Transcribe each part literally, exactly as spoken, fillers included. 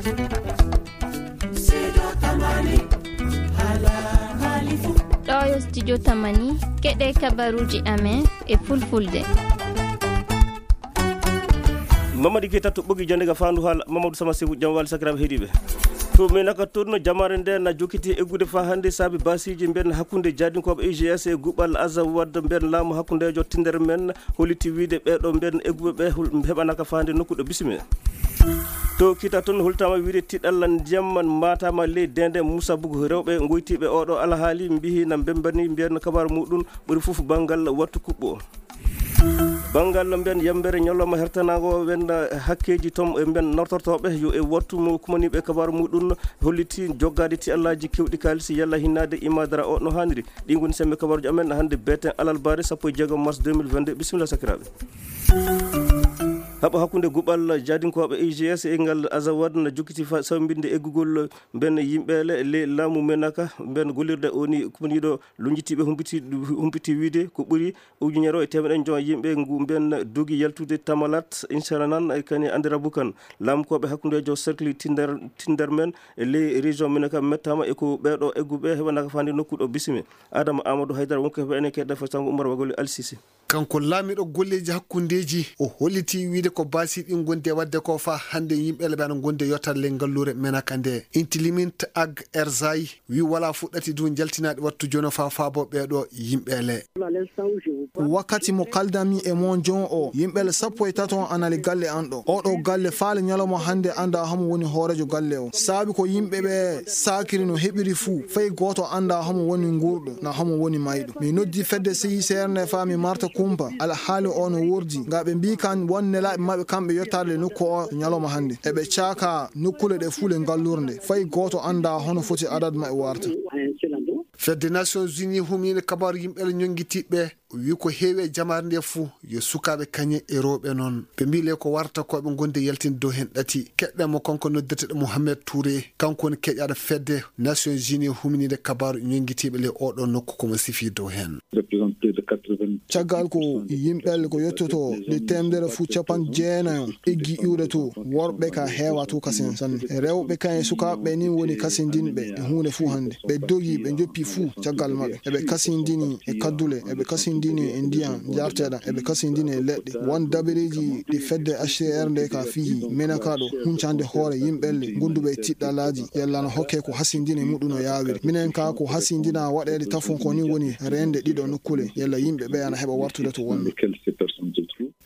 Ɗoo yo studio Tamani, keɗee kabaruuji amen e fulfulde. Mamadi Keita to ɓogi jannde ga faandu haala. Mamadou Sama Sefu, jam wali sakiraaɓe heɗiiɓe. To Menaka toon, jamaare nde na jokkiti eggude faa hannde saabi baasiiji mben hakkunde jaadinkooɓe I G S e guɓal Azawad mben laamu hakkundeejo Tinder men. Holliti wiide ɓee ɗoo mben egguɓe ɓe hol-, heɓanaka faande nokku ɗo bisime. To Kita toon, holtaama wiide tiɗalla ndiyam maataama ley deende Musa Bugu. Rewɓe ngoytiiɓe oo ɗoo alhaali mbiyi na mbemmbani mbiyan kabaaru muɗum ɓuri fof banngal wattu kuɓɓo. Banngal mbiyan yambere ñalawma hertanaango wen hakkeeji toon e mbiyan nortortooɓe yo e wattu mo kumaniiɓe kabaaru muɗum holliti joggaade tiɗallaaji keewɗi kaalisi yalla hinnaade imaadara o no haaniri. Ɗii ngoni semmbe kabaaruuji amen hannde beeten alarbaare sappo e jeegom mars deux mille vingt-deux. Bisimilla sakiraaɓe. Haɓo hakkunde guɓal jaadinkooɓe I G S e ngal Azawad na jokkiti fa-, sawmbinde eggugol mben yimɓeele ley laamu Menaka. Mben gollirde o ni kumaniiɗo lunjitiiɓe humpiti, humpiti wiide ko ɓuri ujunere e teemeɗe njoya yimɓe ngu mben dogi yaltude Tamalat, Insaranan, e kani Andirabukan. Laamukooɓe hakkundeejo cercle Tinder, Tinder men e ley région Menaka mettaama e ko ɓee ɗoo egguɓe heɓanaka faande nokku ɗo bisime. Adama Amadou Haydara wonko heɓa enen keɗɗa fa sango Umar Wagoli Alsisi. Kanko laamiiɗo golleeji hakkundeeji, o holliti wiide ko baasi ɗin ngondi e waɗde ko faa hannde yimɓe ɓe ana ngondi e yottal ley ngalluure Menaka nde. Intilimint Ag Erzay wi walaa fuɗɗati du njaltinaade wattu jono faa faabo ɓee ɗoo yimɓe le. Wakkati mo kaldanmi e mon jon o, yimɓe le sappo e tato ana le galle an ɗo. Oo ɗoo galle faa le ñalawma hannde anndaa homo woni hooreejo galle o. Saabi ko yimɓe ɓe saakiri no heɓiri fuu, fay gooto anndaa homo woni nguurɗo, na homo woni mayɗo. Mi noddi fedde C I C R nde faa mi marta kumpa alhaali o no wordi, nga ɓe mbii kan won nelaaɓe maɓɓe kamɓe yottaade le nokku o ñalawma hannde. Eɓe caaka nokkuule ɗe fuu le ngallurde, fay gooto anndaa hono foti adad maɓɓe warta. Fedde Nations Unies humniinde kabaaru yimɓe le ñonngitiiɓe wi ko heewi e jamaare nde fuu yo sukaaɓe kañe e rewɓe noon. Ɓe mbii le ko warta ko ɓe ngondi e yaltinde dow heen ɗati. Keɗɗen mo kanko noddirteeɗo Mohamed Touré, kanko woni keƴaaɗo fedde Nations Unies humniinde kabaaru ñonngitiiɓe le oo ɗoo nokku ko mo sifii dow heen. Caggal ko yimɓe le ko yottoto le teemedere fuu capanɗe jeenayo eggi iwde to, worɓe ka heewa to kasen sanne. Rewɓe kan e sukaaɓe ɓe ni woni kasindinɓe e huunde fuu hannde. Ɓe dogi, ɓe njoppi fuu caggal maɓɓe. Eɓe kasindini e kaddule, eɓe kasindini e ndiyan njarteeɗan, eɓe kasindini e leɗɗe. Won dabareeji ɗi fedde H C R nde ka fii Menaka ɗo, huncande hoore yimɓe le gonduɓe e tiɗɗalaaji, yalla no hokke ko hasindini muɗum no yaawiri. Minen ka ko hasindina waɗeede tafon ko ni woni reende ɗiɗo nokkuule, yalla yimɓe ɓe ana heɓa wartude to wonɓe.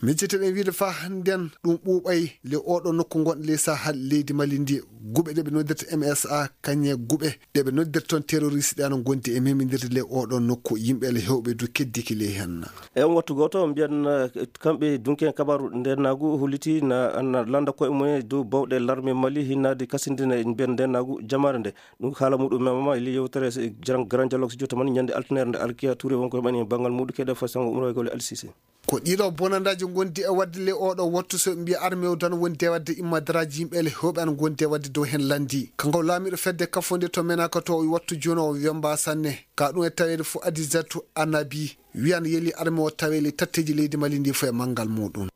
Miccete ɗen wiide faa hannden ɗum ɓuuɓay le oo ɗoo nokku ngonɗo ley Sahel leydi Mali ndi. Guɓe ɗe ɓe noddirta M S A, kañe guɓe ɗe ɓe noddirta toon terroriste ɗe ana ngondi e memindirde ley oo ɗoo nokku, yimɓe le heewɓe du keddiki ley heen. E on wattu gooto, mbiyan, eh, kamɓe dunke kabaaru ndennaagu holliti na, na lannda koye mum e dow bawɗe larme Mali hinnaade kasindina e mbiyan ndennaagu jamaare nde. Ɗum haala muɗum memama e ley yewtere Grand Dialogue Studio Tamani ñande altine nde. Alkiya Touré wonko heɓani e banngal muɗum keɗe fa sango Umar Waygole Alsise. Ko ɗiɗo bonandaaji ngondi e waɗde ley oo ɗoo wattu, so ɓe mbiya armée o dano wondi e waɗde immadaraaji yimɓe le heewɓe ana ngondi e waɗde dow heen lanndi. Kanko laamiiɗo fedde kafonde to Menaka to wattu jooni o wemba sanne. Ka ɗum e taweede fof Adisatu Anabi wiyan yeli armée o tawee le tatteeji leydi Mali ndi fof e manngal muɗum.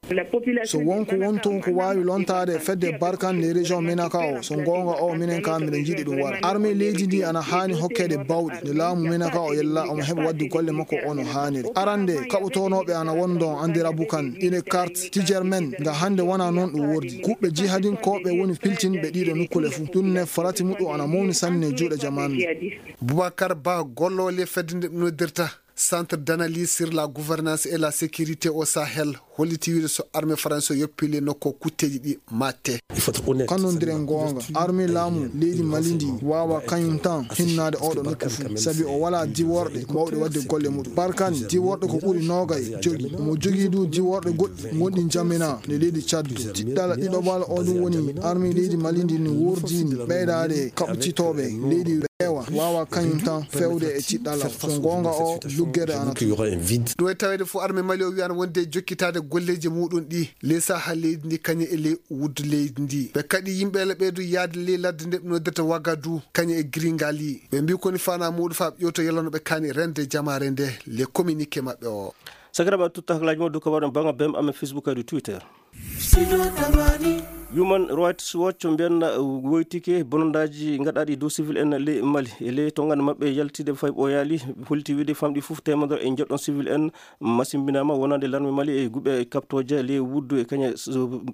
So won ko won toon ko waawi lontaade e fedde Barkan ley région Menaka o, so ngoonga o minen ka miɗen njiɗi ɗum wara. Armée leydi ndi ana haani hokkeede bawɗe nde laamu Menaka o yella omo heɓa waɗde golle makko o no haaniri. Arande kaɓotoonooɓe ana won ɗon anndira Bukan, ine carte Tijermen nga hannde wonaa noon ɗum wordi. Kuɓɓe jihadinkooɓe woni piltinɓe ɗiɗo nokkuule fuu. Ɗum ne farati muɗum ana mawni sanne e juuɗe jamaanu nde. Boubacar Ba, golloowo ley fedde nde ɓe noddirta Centre d'analyse sur la gouvernance et la sécurité au Sahel, holliti wiide so armée faransi o yoppii le nokku o kutteeji ɗi maatte. Kannondiren goonga, armée laamu leydi Mali ndi waawaa kañum tan hinnaade oo ɗoo nokku fuu, sabi o walaa diworɗe baawɗe waɗde golle muɗum. Barkan diworɗe ko ɓuri noogay jogii. Omo jogii du diworɗe goɗɗi gonɗi Njamena ne leydi Tchad. Tiɗɗal ɗiɗaɓal o ɗum woni armée leydi Mali ndi no wurdiini ɓeydaade kaɓɓitooɓe leydi. Ewa, waawaa kañum tan feewde e tiɗɗalal. So goonga o, luggere ana to. Ɗum e taweede fof, armée Mali o wiyaano wonde e jokkitaade golleeji muɗum ɗi ley sahaa leydi ndi, kañum e ley wuddu leydi ndi. Ɓe kaɗi yimɓe le ɓee du yaade ley ladde nde ɓe noddirta Wagadu, kañum e Giringali. Ɓe mbii ko woni faanaa muɗum faa ɓe ƴeewta yalla no ɓe kaani reende jamaare nde, le communiqué maɓɓe o. Sakiraaɓe, a tutta haklaaji mo dow kabaru en banngal B M amen Facebook e dow Twitter. Human Rights Watch mbiyanna woytike bonondaaji ngaɗaaɗi dow civil en ley Mali. E ley tonngande maɓɓe yaltiinde fay ɓooyaali, holiti wiide famɗi fof teemedere e njeɗɗon civil en masimbinaama wonande larme Mali e guɓe kaɓtooje ley wuddu e kañe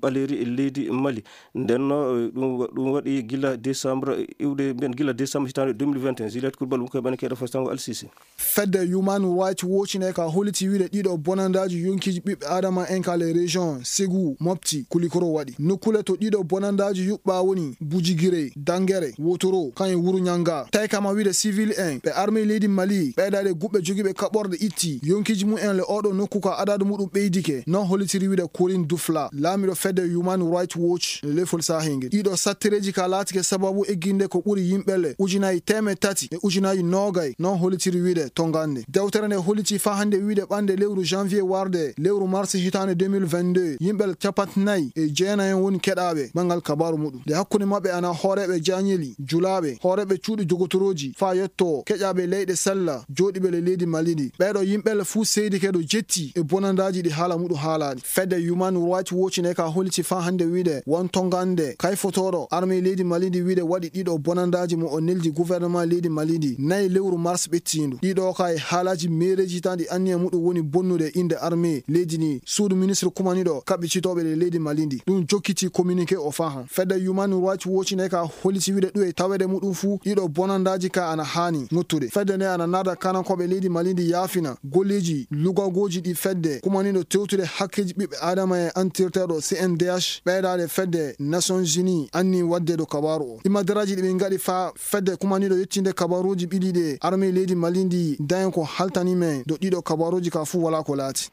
ɓaleeri e leydi Mali. Ndennoo, ɗum wa-, ɗum waɗi gila décembre, iwde mbiyen gila décembre hitaande deux mille vingt et un. Juliette Coulibaly, wonko e ɓane keɗo fasitango Alsisi. Fedde Human Rights Watch ne ka holiti wiide ɗiɗo bonandaaji yonkiiji ɓiɓɓe Adama en ka le région Ségou, Mopti, Koulikoro waɗi. Nokkule to ɗiɗo bonandaaji yuɓɓa woni Bujigire, Dangere, Wotoro, kan e Wuru Ñanga. Tawi kama wiide civil en, ɓe armée leydi Mali, ɓeydaade guɓɓe jogiiɓe kaɓorɗe itti yonkiiji mum en le oɗo nokku ka adadu muɗum ɓeydike. Non holitiri wiide Corinne Dufla, laamiɗo fedde Human Rights Watch, le lefol sahingel. Ɗiɗo sattereeji ka laatike sababu egginde ko ɓuri yimɓe le ujunaaji teemeɗɗe tati e ujunaaji noogay, non holitiri wiide tongande. Dewtere nde holiti faa hannde wiide ɓannde lewru janvier warde lewru mars hitaande deux mille vingt-deux, yimɓe capanɗe nayi e jeenayi en woni keɗaaɓe banngal kabaaru muɗum. Nde hakkunde maɓɓe ana hooreeɓe jaañeli, julaaɓe, hooreeɓe cuuɗi dogotorooji, faa yetto keƴaaɓe leyɗe sella jooɗiiɓe le leydi Mali ndi. Ɓeeɗo yimɓe le fuu seedike ɗo jetti e bonandaaji ɗi haala muɗum haalaani. Fedde Human Rights Watch ne ka holiti faa hannde wiide won tongande kayfotooɗo armée leydi Mali ndi wiide waɗi ɗiɗo bonandaaji mo o neldi gouvernement leydi Mali ndi nayi lewru mars ɓettiindu. Ɗiɗo ka e haalaaji meereeji tan ɗi anniya muɗum woni bonnude innde armée leydi ndi, suudu ministre kumaniiɗo kaɓɓititooɓe ɗe leydi Mali ndi. Ɗum jokkiti communiqué o faa han. Fedde Human Rights Watch ne ka holiti wiide ɗum e taweede muɗum fuu ɗiɗo bonandaaji ka ana haani ŋottude. Fedde nde ana naada kanankooɓe leydi Mali ndi yaafina golleeji lugagooji ɗi fedde kumaniiɗo tewtude hakkeeji ɓiɓɓe Adama e antirteeɗo C N D H ɓeydaade fedde Nations Unies anni waɗde ɗo kabaaru o. Imadaraaji ɗi ɓe ngaɗi faa fedde kumaniiɗo yettinde kabaaruuji ɓiɗi ɗe armée leydi Mali ndi dañi ko haltani men ɗo ɗiɗo kabaaruuji ka fuu walaa ko laati.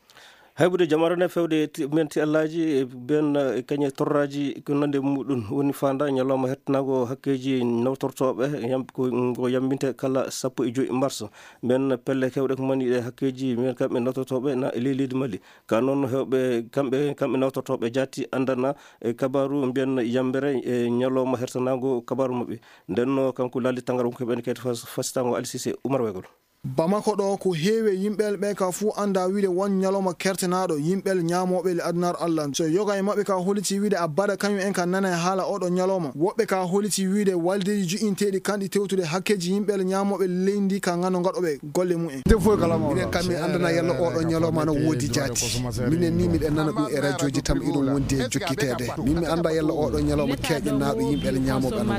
Haybude jamaare nde fewde ti-, men ti Allaaji, e ben, e kañe torraaji ko nande muɗum woni faanda ñalawma hettanaango hakkeeji nawtortooɓe yam-, ko, ngo yambinte kala sappo e joy mars. Men pelle kewɗe ko mani ɗe hakkeeji men kamɓe nawtortooɓe na e ley leydi Mali. Ka noon heewɓe kamɓe, kamɓe nawtortooɓe jaati anndana e kabaaru mbiyen yambere e ñalawma hertanaango kabaaru maɓɓe. Nden no kanko Lali Tangara wonko heɓen kadi fas-, fasitango Alsise Umar Wegol. Bamako ɗo ko heewi e yimɓe ɓe ka fuu annda wiide won ñalawma kertanaaɗo yimɓe ñaamooɓe le adunaar Alla. So yoga e maɓɓe ka holiti wiide a baɗa kañum en ka nana e haala oɗo ñalawma. Woɓɓe ka holiti wiide waldeeji joƴƴinteeɗi kanɗi tewtude hakkeeji yimɓe le ñaamooɓe leydi ka ngano ngaɗoɓe golle mumen. Minen kam min anndana yalla oɗo ñalawma no woodi jaati. Minen ni miɗen nana ɗum e rajooji tan iɗum wondi e jokkiteede. Min mi annda yalla oɗo ñalawma keeƴanaaɗo yimɓe le ñaamooɓe ana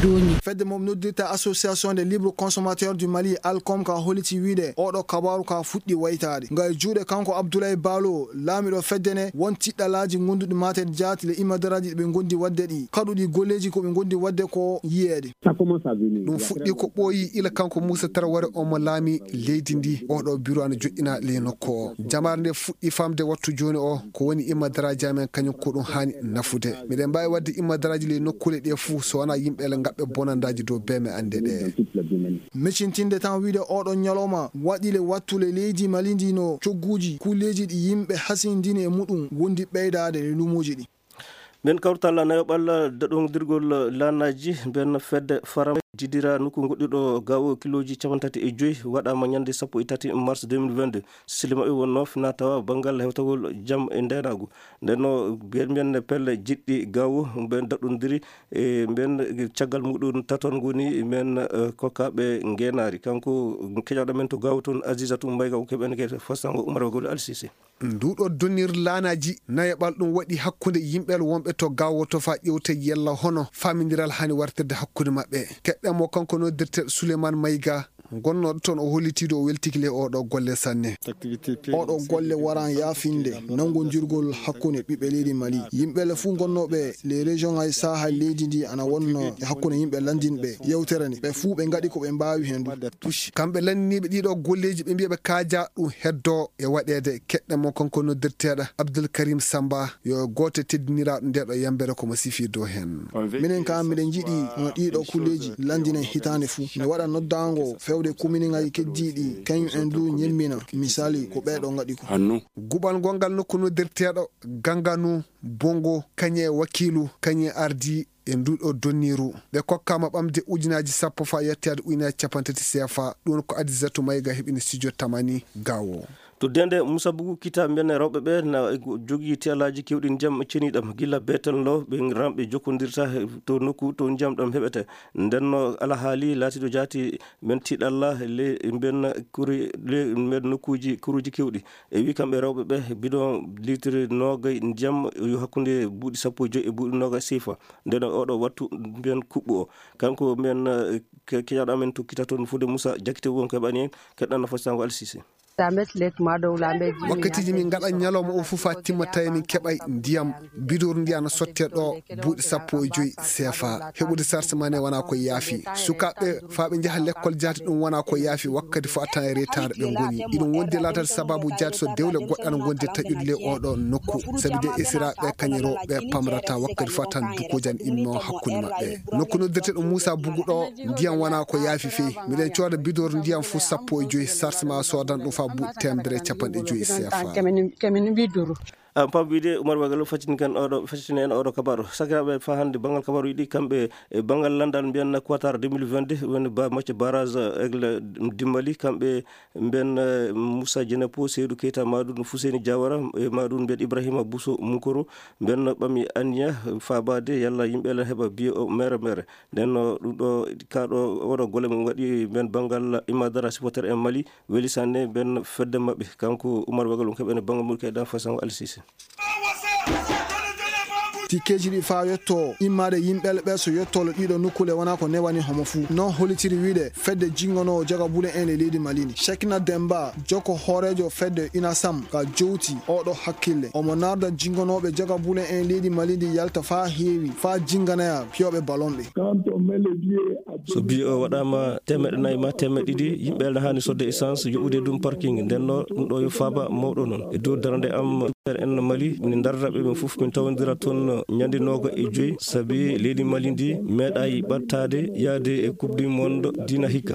woodi. Fedde mo noddirta Association des libres consommateurs du Mali, ALCOM, ka holiti wiide oɗo kabaaru ka fuɗɗi waytaade. Nga e juuɗe kanko Abdoulaye Balo, laamiɗo fedde ne, won tiɗɗalaaji gonduɗi maate jaati le imadaraaji ɗi ɓe gondi waɗde ɗi. Kaɗuɗi golleeji ko ɓe gondi waɗde ko yiyeede. Ɗum fuɗɗi ko ɓooyi ila kanko Muusa Taraware omo laami leydi ndi. Oɗo biro ana joƴƴina ley nokku o. Jamaare nde fuɗɗi famde wattu jooni o ko woni imadaraaji amen kañum ko ɗum haani nafude. Miɗen mbaawi waɗde imadaraaji ley nokkuule ɗe fuu so wonaa yimɓe le ngaɓɓe bonandaaji dow beeme annde ɗe. Micintinde tan wiide oɗo ñalawma waɗi le wattu le leydi Mali ndi no cogguuji kulleeji ɗi yimɓe hasindini e muɗum wondi ɓeydaade le luumoji ɗi. Min kawtal nayoɓal daɗondirgol laanaaji, ben fedde faram jidira nokku goɗɗuɗo gawo kilooji cappanɗe tati e joy waɗaama ñande sappo e tati mars deux mille vingt-deux. Sili maɓɓe wonnoo finaa tawa banngal hewtagol jam e ndeenaagu. Nden no mbiyen mbiyen pelle jiɗɗi gawo, ben daɗondiri e ben caggal muɗum taton ngoni men, eh, kokkaaɓe ngeenaari. Kanko keƴaaɗo men to gawo toon, Azizatu Mayga, o keɓen ke fasango Umar Wagol Alsise. Nduuɗo donnir laanaaji nayaɓal ɗum waɗi hakkunde yimɓe wonɓe to gawo to faa ƴewte yella hono faamindiral hani wartirde hakkunde maɓɓe. Keɗɗen mo kanko noddirteeɗo Souleymane Mayga, gonnooɗo toon o hollitiiɗo o weltiki le oɗo golle sanne. Oɗo golle waran yaafinde nanngondirgol hakkunde ɓiɓɓe leydi Mali. Yimɓe le fuu gonnooɓe le région ay saaha leydi ndi ana wonno e hakkunde yimɓe lanndinɓe yewtere nde. Ɓe fuu ɓe ngaɗi ko ɓe mbaawi heen ɗum. Kamɓe lanndiniiɓe ɗiɗo golleeji ɓe mbiya ɓe kaaja ɗum heddo e waɗeede. Keɗɗen mo kanko noddirteeɗo Abdoul Karim Samba, yo gooto e teddiniraaɗo ndeeɗo yambere ko mo sifii dow heen. Minen kaa miɗen njiɗi no ɗiɗo kulleeji lanndinen hitaande fuu. Mi waɗa noddaango fewde kominiŋaaji keddiiɗi, kañum en duu ñemmina, misali, ko ɓeeɗo ngaɗi ko. Guɓal ngongal nokku noddirteeɗo Ganganu, Bongo, kañe wakiilu, kañe ardi e nduuɗo donniiru. Ɓe kokkaama ɓamde ujunaaji sappo faa yettoyaade ujunaaji cappanɗe tati C F A. Ɗum ko Adisatu Mayga heɓini studio Tamani Gawo. To dende Musa Bugu Kita, mbennen rewɓe ɓe na jogii teelaaji keewɗi ndiyam ceniiɗam. Gila beetel loo, ɓe ramɓe jokkondirta to nokku to ndiyam ɗam heɓete. Nden no alhaali laatiiɗo jaati men tiiɗalla le mben kuri, le mben nokkuuji kuruuji keewɗi. E wii kamɓe rewɓe ɓe, bidon liitiri noogay ndiyam yo hakkunde buuɗi sappo e joy e buuɗi noogay siifa. Nden oɗo wattu mben kuɓɓu o. Kanko mben, eh, ke-, keñaɗo amen to Kita toon, Fuude Musa Jakite won ko heɓani en, keɗɗan no fasitango Alsise. Wakkatiiji min ngaɗa ñalawma o fof faa timma, tawi min keɓay ndiyam, bidoor ndiyam ana sottee ɗo buuɗi sappo e joy seefa. Heɓude sarse maa ne wonaa ko yaafi. Sukaaɓe faa ɓe njaha lekkol jaati, ɗum wonaa ko yaafi. Wakkati fof a tan e retaare ɓe ngoni. Iɗum wondi laataade sabaabu jaati so dewle goɗɗe ana ngondi e taƴude ley oo ɗoo nokku. Sabi de esiraaɓe kañe rewɓe pamrata, wakkati fof a tan dukuuji ana immoo hakkunde maɓɓe. Nokku noddirtee ɗo Muusa Bugu ɗo, ndiyam wonaa ko yaafi fey. Miɗen cooda bidoor ndiyam fof sappo e joy, sarse maa soodan ɗum faa buuɗi teemedere e capanɗe joy seefa. Kemin, kemin widduru. A pam wiide Umar Wagalo faccini kan oɗo, faccini en oɗo kabaru. Sakiraaɓe, faa hannde banngal kabaruuji ɗi, kamɓe e banngal lanndal mbiyan Qatar deux mille vingt-deux, woni ba-, match barrage, eh, Aigle Dimbali, kamɓe mbiyan, eh, Moussa Dienepo, Seydou Keita, Madoun Fousseyni Diawara, e Madoun mbiyan Ibrahima Bousso Munkoro, mbiyan ɓami anniya faabaade yalla yimɓe lan heɓa biye o mere mere. Nden no ɗum ɗo, kaa ɗo, oɗo golle mum waɗi mbiyan banngal Imadara supporter en Mali, Weli Sanne, mbiyan fedde maɓɓe, kanko Umar Wagal, on keɓene banngal mum keɗan fasango Alsise. Tikkeeji ɗi faa yottoo immaade yimɓe ɓe so yottoo ɗiɗo nokkuule wonaa ko newani homo fuu. Non hollitiri wiide fedde jinngonoowo jagabule en e leydi Mali ndi. Shekina Demba, jokko hooreejo fedde Inasam ka jowti oɗo hakkille. Omo narda jinngonooɓe jagabule en leydi Mali ndi yalta faa heewi, faa jinnganoya piyooɓe balon ɓe. So biye o waɗaama teemeɗɗe nayi maa teemeɗɗe ɗiɗi, yimɓe ana haani sodde essence, yoɓude ɗum parking. Nden no ɗum ɗo yo faaba mawɗo non. E dow darnde am, en Mali, min ndarra ɓe ɓen fof, min tawondira toon ñande nooga e joy, sabi leydi Mali ndi meeɗaay ɓattaade yaade e Coupe du Monde dina hikka.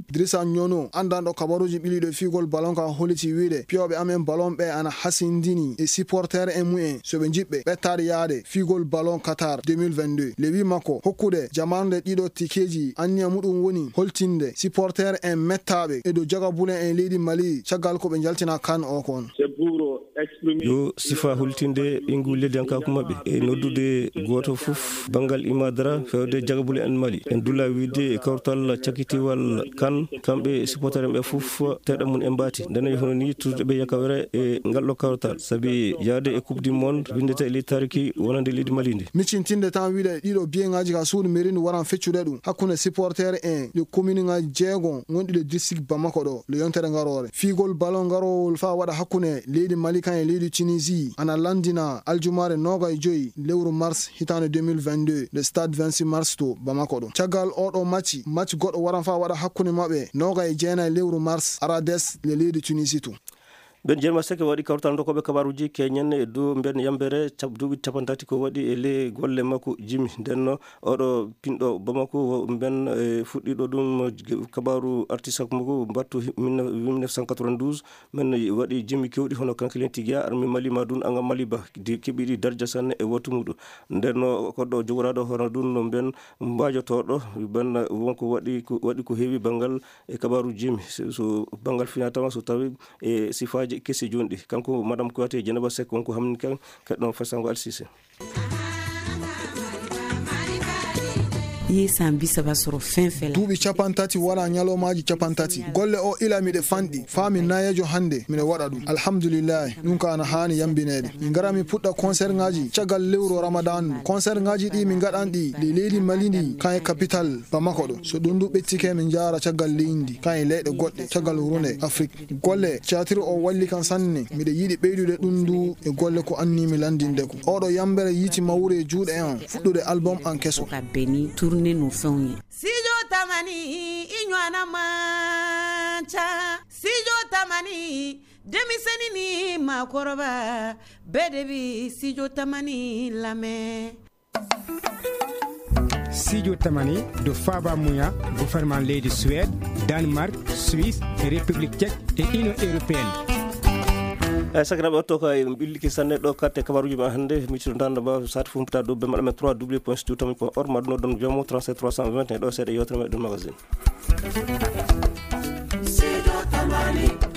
Idrissa Nyono, anndanɗo kabaruuji ɓiliiɗo e fiigol balon ka, holliti wiide piyooɓe amen balon ɓe ana hasindini e supporter en mumen, so ɓe njiɗɓe ɓettaade yaade fiigol balon Qatar deux mille vingt-deux. Le wii makko hokkude jamarnde ɗiɗo tikeeji, anniya muɗum woni holtinde supporter en mettaaɓe e dow jagabule en leydi Mali caggal ko ɓe njaltina kan o kon. Yo sifa hultinde ɓeyngu leydiyankaaku maɓɓe e noddude gooto fof banngal Imadara fewde jagabule en Mali. En dula wiide e kawtal cakitiwal kan, kamɓe supporter en ɓe fof, teeɗa mum en mbaati. Ndeen yo hono nii tuutude ɓe yakawere e ngal ɗo kawtal. Sabi yaade e Coupe du Monde winndete e leydi Tarki wonande leydi Mali ndi. Miccintinde tan wiide ɗiɗo biyeŋaaji ka suudu mairie ndu waran feccude ɗum hakkunde supporter en ɗi commune ŋaaji jeegon wonɗi le district Bamako ɗo le yontere ngaroore. Fiigol ballon ngarowol faa waɗa hakkunde leydi Mali kan e leydi Tunisie ana lanndina aljumaare noogaye joy lewru mars hitaande deux mille vingt-deux le stade vingt-six mars to Bamako ɗo. Caggal oo ɗoo macci, macci goɗɗo waran faa waɗa hakkunde maɓɓe noogaye jeenaye lewru mars Arades le leydi Tunisie to. Ben Jerma Seke waɗi kawtal dokkooɓe kabaaruuji keñen e dow mben yambere cap-, duuɓi capanɗe tati ko waɗi e ley golle makko jimi. Nden no oɗo pinɗo Bamako, wo mben, e, fuɗɗiɗo ɗum kabaaru artiste makko mbattu hi-, mille neuf, mille neuf cent quatre-vingt-douze, men waɗi jimi kewɗi hono Kankilen Tigia, Armi Mali, ma ɗum Anga Mali Ba, di keɓiɗi darja sanne e wattu muɗum. Nden no koɗɗo jogoraaɗo hono ɗum no mben mbaajotooɗo, ben wonko waɗi ko, waɗi ko heewi banngal e kabaaru jimi, so, so banngal finaa tama, so tawi e sifaaji kesi jooni ɗi. Kanko Madame Kouyaté Dieynaba Seck wonko hamni kan, keɗɗon fasango Alsise. Yee san bi saba soro fɛn fɛn la. Duuɓi capanɗe tati wala ñalawmaaji capanɗe tati. Golle o ila miɗe fanɗi. Faa mi nayeejo hannde, miɗo waɗa ɗum. Alhamdulillahi, ɗum ka ana haani yambineede. Min ngara min puɗɗa concert ŋaaji caggal lewru Ramadan ndu. Concert ŋaaji ɗi min ngaɗan ɗi le leydi Mali ndi, kan e capital Bamako ɗo. So ɗum du ɓettike, min njaara caggal leydi ndi, kan e leyɗe goɗɗe, caggal runde Afrik. Golle théâtre o walli kan sanne. Miɗo yiɗi ɓeydude ɗum du e golle ko anni mi lanndinde ko. Oɗo yambere yiiti mawre e juuɗe an, fuɗɗude album an keso. Ka beni tourné no fɛnw ye. Studio Tamani, i ɲɔana man ca. Studio Tamani, denmisɛnnin ni maakɔrɔba, bɛɛ de bi Studio Tamani lamɛn. Studio Tamani, ɗo faaba muya gouvernement leydi Suède, Danemark, Suisse, République Tchèque e Union Européenne. Eyi, sakiraaɓe, oɗo ko en ɓillike sanne ɗo karte kabaaruuji men hannde. Micro ndanda ba saati fof mbaɗa dow ben maɗa men trois W point studio tamani point org, ma ɗum noddon jomo trente-sept trois cent vingt et un ɗo seeɗa yewtere meɗen magazine. Amani.